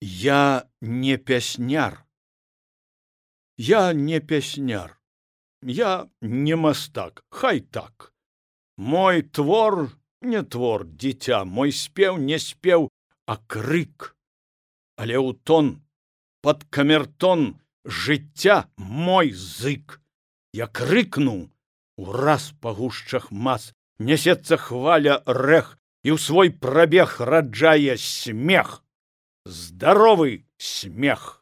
Я не пясняр. Я не пясняр. Я не мастак, хай так. Мой твор не твор, дзіця, мой спеў не спеў, а крык. Але ў тон, пад камертон жыцця мой зык. Я крыкну, ураз па гушчах мас нясецца хваля рэх, і ў свой прабег раджае смех. Здоровый смех.